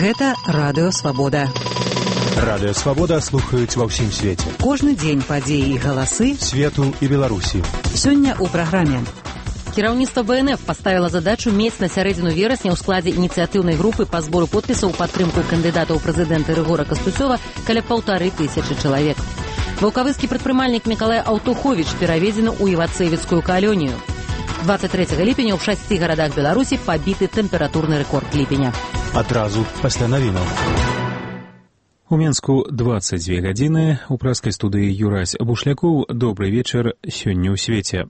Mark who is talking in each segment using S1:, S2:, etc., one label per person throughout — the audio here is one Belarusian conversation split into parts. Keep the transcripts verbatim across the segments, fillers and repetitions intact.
S1: Гэта радыё Свабода.
S2: Радыё Свабода слухаюць ва ўсім свеце.
S1: Кожны дзень падзеі і галасы
S2: свету і Беларусі.
S1: Сёння ў праграме.
S3: Кіраўніцтва бэ эн эф паставіла задачу мець на сярэдзіну верасня ў складзе ініцыятыўнай групы па збору подпісаў у падтрымку кандыдата ў прэзідэнты Рыгора Кастуцёва каля паўтары тысячы чалавек. Ваўкавыскі прадпрымальнік Мікалай Аўтуховіч пераведзены ў Івацэвіцкую калонію. двадцать трэцяга ліпеня ў шасці гарадах Беларусі пабіты тэмпературны рэкорд ліпеня.
S2: Адразу пасля навінаў.
S4: У Менску двадцать две гадзіны, у праскай студыі Юрась Бушлякоў. Добры вечар сёння ў свеце.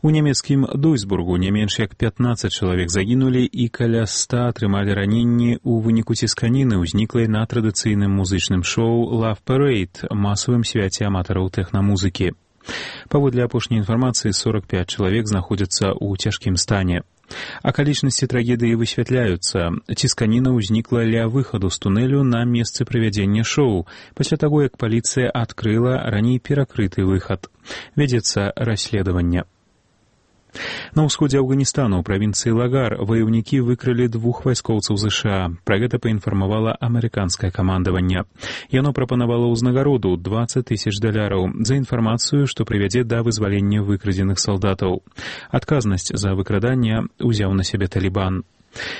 S4: У нямецкім Дуйсбургу не менш як пятнаццаць чалавек загінулі і каля ста атрымалі раненні ў выніку цісканіны, ўзніклай на традыцыйным музычным шоу «Love Parade», масавым свяце аматараў тэхнамузыкі. Паводле апошняй інфармацыі, сорок пять чалавек знаходзяцца ў цяжкім стане. Акалічнасці трагедыі высвятляюцца. Цісканіна ўзнікла ля выхаду з тунэлю на месцы правядзення шоу, пасля таго, як паліцыя адкрыла раней перакрыты выхад. Вядзецца расследаванне. На ўсходзе Афганістану ў правінцыі Лагар ваяўнікі выкрылі двух вайскоўцаў ЗША. Пра гэта паінфармавала амерыканскае камандаванне. Яно прапанавала ўзнагароду двадцать тысяч даляраў за інфармацыю, што прывядзе да вызвалення выкрадзеных салдатаў. Адказнасць за выкраданне ўзяў на сябе Талібан.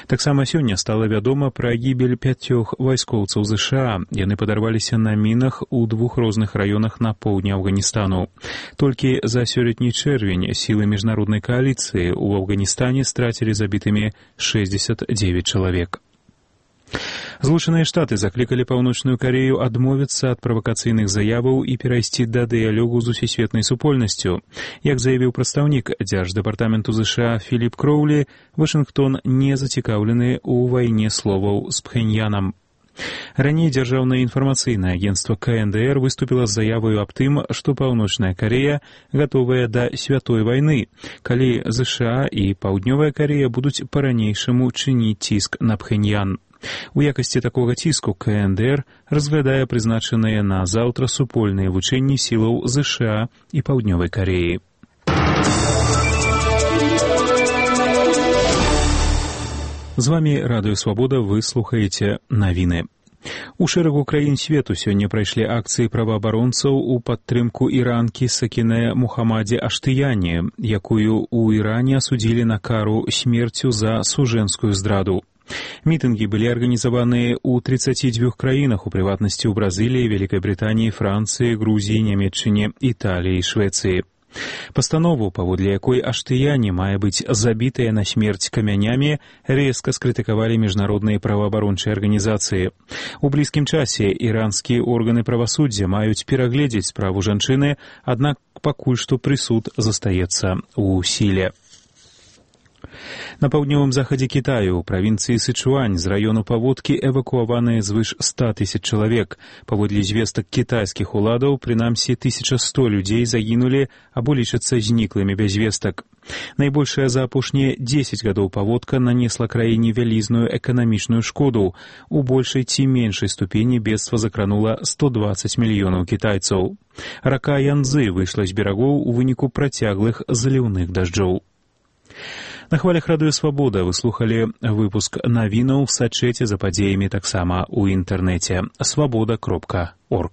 S4: Таксама сёння стала вядома пра гібель пяцёх вайскоўцаў ЗША. Яны падарваліся на мінах у двух розных раёнах на поўдні Афганістану. Толькі за сёлетні чэрвень сілы міжнароднай кааліцыі ў Афганістане страцілі забітымі шэсцьдзесят девять чалавек. Злучаныя Штаты заклікалі Паўночную Карею адмовіцца ад правакацыйных заяваў і перайсці да дыялогу з усесветнай супольнасцю. Як заявіў прадстаўнік дзярждэпартаменту ЗША Філіп Кроулі, Вашынгтон не зацікаўлены ў вайне словаў з Пхеньянам. Раней дзяржаўнае інфармацыйнае агенцтва ка эн дэ эр выступіла з заяваю аб тым, што Паўночная Карея гатовая да святой вайны, калі ЗША і Паўднёвая Карея будуць па-ранейшаму чыніць ціск на Пхеньян. У якасці такога ціску ка эн дэ эр разглядае прызначаныя на заўтра супольныя вучэнні сілаў ЗША і Паўднёвай Кареі. З вамі Радыё Свабода, вы слухаеце навіны. У шэрагу краін свету сёння прайшлі акцыі праваабаронцаў у падтрымку іранкі Сакінэ Мухаммадзе Аштыяне, якую ў Іране асудзілі на кару смерцю за сужэнскую здраду. Мітынгі былі арганізаваныя ў тридцати двух краінах, у прыватнасці ў Бразыліі, Вялікай Брытаніі, Францыі, Грузіі, Нямецчыне, Італіі і Швецыі. Пастанову, паводле якой Аштыяне мае быць забітая на смерць камянямі, рэзка скрытыкавалі міжнародныя праваабарончыя арганізацыі. У блізкім часе іранскія органы правасуддзя маюць перагледзець справу жанчыны, аднак пакуль што прысуд застаецца ў сіле. На паўднёвым захадзе Кітаю, у правінцыі Сычуань, з раёну паводкі эвакуаваныя звыш ста тысяч чалавек. Паводле звестак кітайскіх уладаў, прынамсі тысяча сто людзей загінулі або лічацца зніклымі без вестак. Найбольшая за апошнія дзесяць гадоў паводка нанесла краіне вялізную эканамічную шкоду. У большай ці меншай ступені бедства закранула сто двадцать мільёнаў кітайцаў. Рака Янзы выйшла з берагоў у выніку працяглых заліўных дажджоў. На хвалях Радыё Свабода вы слухалі выпуск навінаў, сачэце за падзеямі таксама ў інтэрнэце свабода кропка орг.